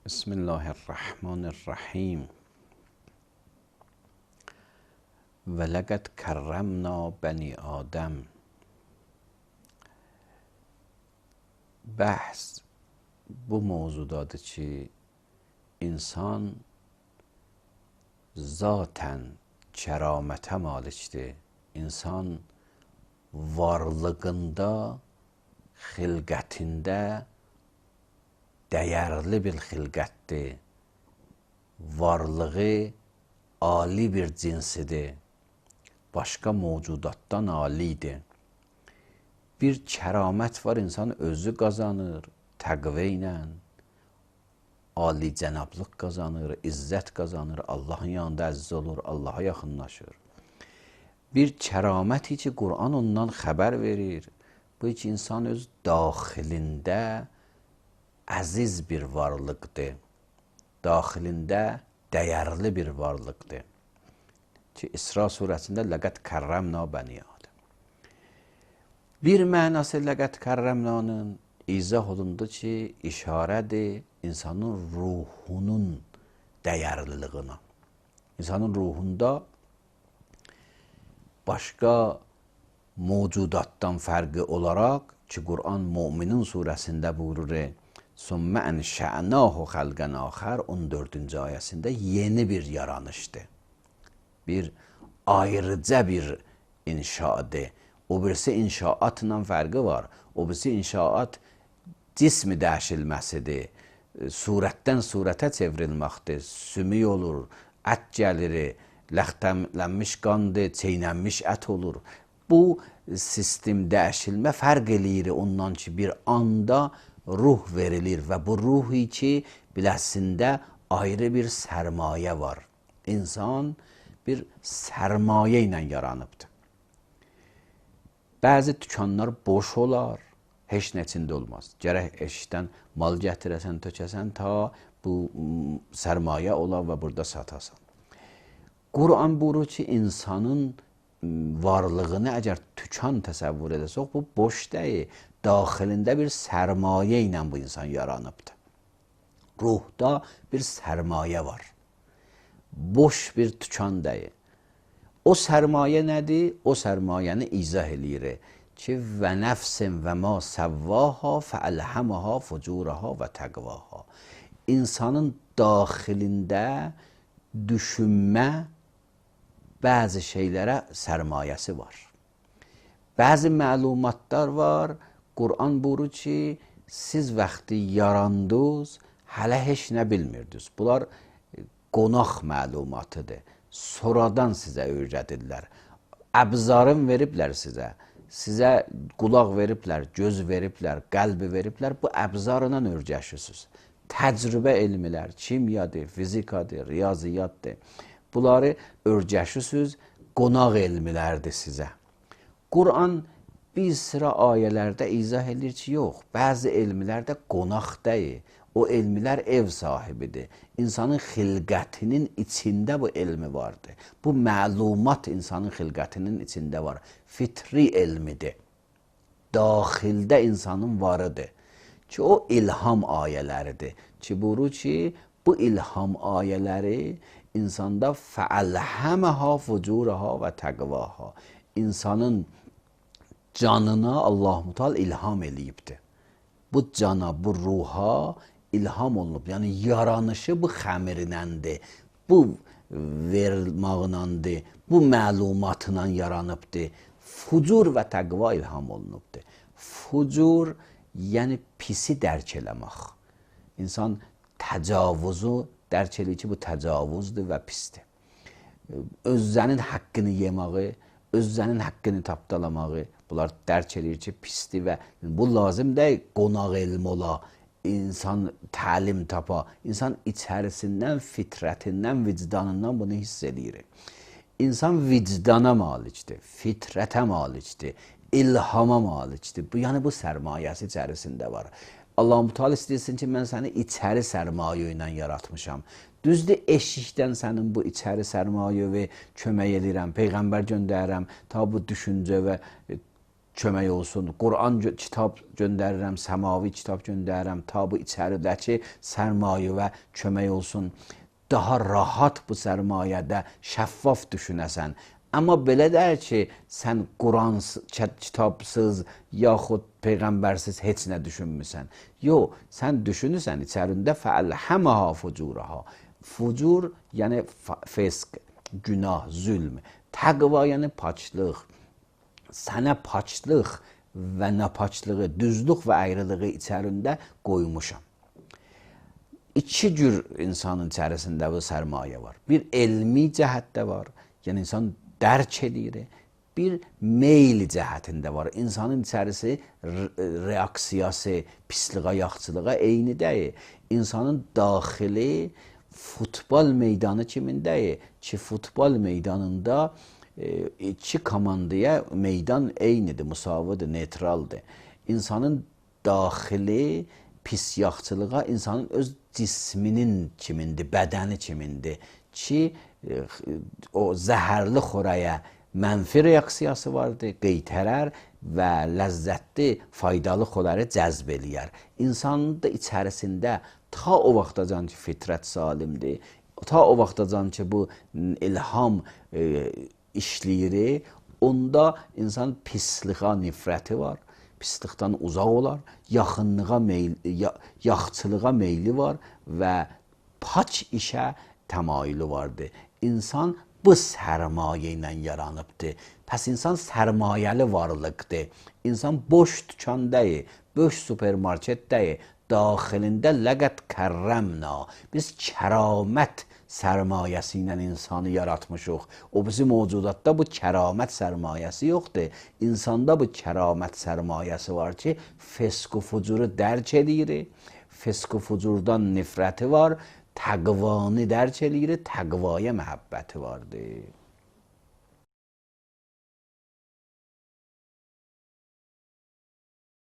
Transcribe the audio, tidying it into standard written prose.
Bismillahirrahmanirrahim. Və ləqəd kərrəmna bəni Adəm. Bəhs bu mövzudadır ki, insan zatən kəramətə malikdir. İnsan varlığında, xilqətində dəyərli bir xilqətdir. Varlığı ali bir cinsidir. Başqa mövcudatdan alidir. Bir kəramət var, insan özü qazanır, təqvə ilə, ali cənablıq qazanır, izzət qazanır, Allahın yanında əziz olur, Allaha yaxınlaşır. Bir kəraməti ki, Qur'an ondan xəbər verir. Bu ki, insan öz daxilində əziz bir varlıqdır. Daxilində dəyərli bir varlıqdır. Ki, İsra surəsində ləqəd kərrəmna bəni Adəm. Bir mənası ləqəd kərrəmnanın izah olundu ki, işarədir insanın ruhunun dəyərliliyinə. İnsanın ruhunda başqa mövcudatdan fərqi olaraq ki, Qur'an Müminin surəsində buyurur, Sümmə ənşə'nahu xəlqən axər 14-cü ayəsində yeni bir yaranışdır. Bir ayrıca bir inşaadır. O birisi inşaatla fərqi var. O birisi inşaat cismi dəyişilməsidir. Surətdən surətə çevrilməkdir. Sümük olur, ət gəlir, ləxtəmlənmiş qandır, çeynənmiş ət olur. Bu sistem dəyişilmə fərq eləyir ondan ki, bir anda ruh verilir və bu ruhi ki, biləsində ayrı bir sərmayə var. İnsan bir sərmayə ilə yaranıbdır. Bəzi dükanlar boş olar, heç nə içində olmaz. Gərək eşikdən mal gətirəsən, tökəsən ta bu sərmayə ola və burada satasan. Qur'an buyurur ki, insanın varlığını əgər tükan təsəvvür edəsək, bu boş deyil. Daxilində bir sərmayə ilə bu insan yaranıbdır. Ruhda bir sərmayə var. Boş bir tükan deyil. O sərmayə nədir? O sərmayəni izah eləyir ki, və nəfsin və ma səvvaha fəəlhəməha fucuraha və təqvaha. İnsanın daxilində düşünmə bəzi şeylərə sərmayəsi var. Bəzi məlumatlar var. Qur'an buyurur ki, siz vaxtı yarandınız, hələ heç nə bilmirdiniz. Bunlar qonaq məlumatıdır. Sonradan sizə öyrədirlər. Əbzarın veriblər sizə. Sizə qulaq veriblər, göz veriblər, qəlbi veriblər. Bu əbzarla öyrəşirsiniz. Təcrübə elmlər, kimyadır, fizikadır, riyaziyyatdır. Bunları öyrəşirsiniz, qonaq elmlərdir sizə. Qur'an bir sıra ayələrdə izah edir ki, yox, bəzi elmlərdə qonaq deyil. O elmlər ev sahibidir. İnsanın xilqətinin içində bu elmi vardır. Bu məlumat insanın xilqətinin içində var. Fitri elmidir. Daxildə insanın varıdır. Ki, o ilham ayələridir. Ki, buyurur ki, bu ilham ayələri insanda fəəlhəməhə fucuraha və təqvaha. İnsanın canına Allah-u Teala ilham eləyibdir. Bu cana, bu ruha ilham olunub. Yəni, yaranışı bu xəmirinəndir, bu verilmağınandır, bu məlumatla yaranıbdır. Fucur və təqva ilham olunubdur. Fucur, yəni pisi dərk eləmək. İnsan təcavüzü dərk eləyir ki, bu təcavüzdür və pisdir. Özənin haqqını yemağı, özənin haqqını tapdalamağı, bunlar dərk eləyir ki, pisdir və bu lazım deyil, qonaq elm ola, insan təlim tapa, insan içərisindən, fitrətindən, vicdanından bunu hiss edir. İnsan vicdana malikdir, fitrətə malikdir, ilhama malikdir. Yəni, bu sərmayəsi içərisində var. Allah-u Teala istəyirsin ki, mən səni içəri sərmayə ilə yaratmışam. Düzdür, eşikdən sənin bu içəri sərmayəvi kömək edirəm, Peyğəmbər göndərirəm, ta bu düşüncə və kömək olsun. Quran kitab göndərirəm, səmavi kitab göndərirəm ta bu içəridəki sərmayə kömək olsun. Daha rahat bu sərmayədə şəffaf düşünəsən. Amma belə deyil ki, sən Quran kitabsız yaxud peyğəmbərsiz heç nə düşünmüsən. Yox, sən düşünürsən içərində fəəlhəməha fucuraha. Fucur yəni fisq, günah, zülm. Təqva yəni paçlıq. Sənə paçlıq və napaçlığı, düzlük və ayrılığı içərində qoymuşam. İki cür insanın içərisində bu sərmayə var. Bir elmi cəhətdə var, yəni insan dərk edir. Bir meyl cəhətində var. İnsanın içərisi reaksiyası, pisliğə, yaxçılığa eyni deyil. İnsanın daxili futbol meydanı kimindəyir ki, futbol meydanında iki komandaya meydan eynidir, müsavidir, neytraldır. İnsanın daxili pis yaxçılığa insanın öz cisminin kimindir, bədəni kimindir ki, o zəhərli xoraya mənfi reaksiyası vardır, qeytərər və ləzzətli, faydalı xoları cəzb eləyər. İnsanın da içərisində ta o vaxtacan ki, fitrət salimdir, ta o vaxtacan ki, bu ilham işləyir, onda insan pisliğə nifrəti var, pislikdən uzaq olar, yaxçılığa meyli var və paç işə təmayülü vardır. İnsan bu sərmayə ilə yaranıbdır. Pəs insan sərmayəli varlıqdır. İnsan boş dükan deyil, boş supermarket deyil. Daxilində ləqət kərrəmna. Biz kəramət sərmayəsi ilə insanı yaratmışıq. O bizim mövcudatda bu kəramət sərmayəsi yoxdur. İnsanda bu kəramət sərmayəsi var ki, fisq-u fucuru dərk edir. Fisq-u fucurdan nifrəti var. Təqvanı dərk edir. Təqvaya məhəbbəti vardır.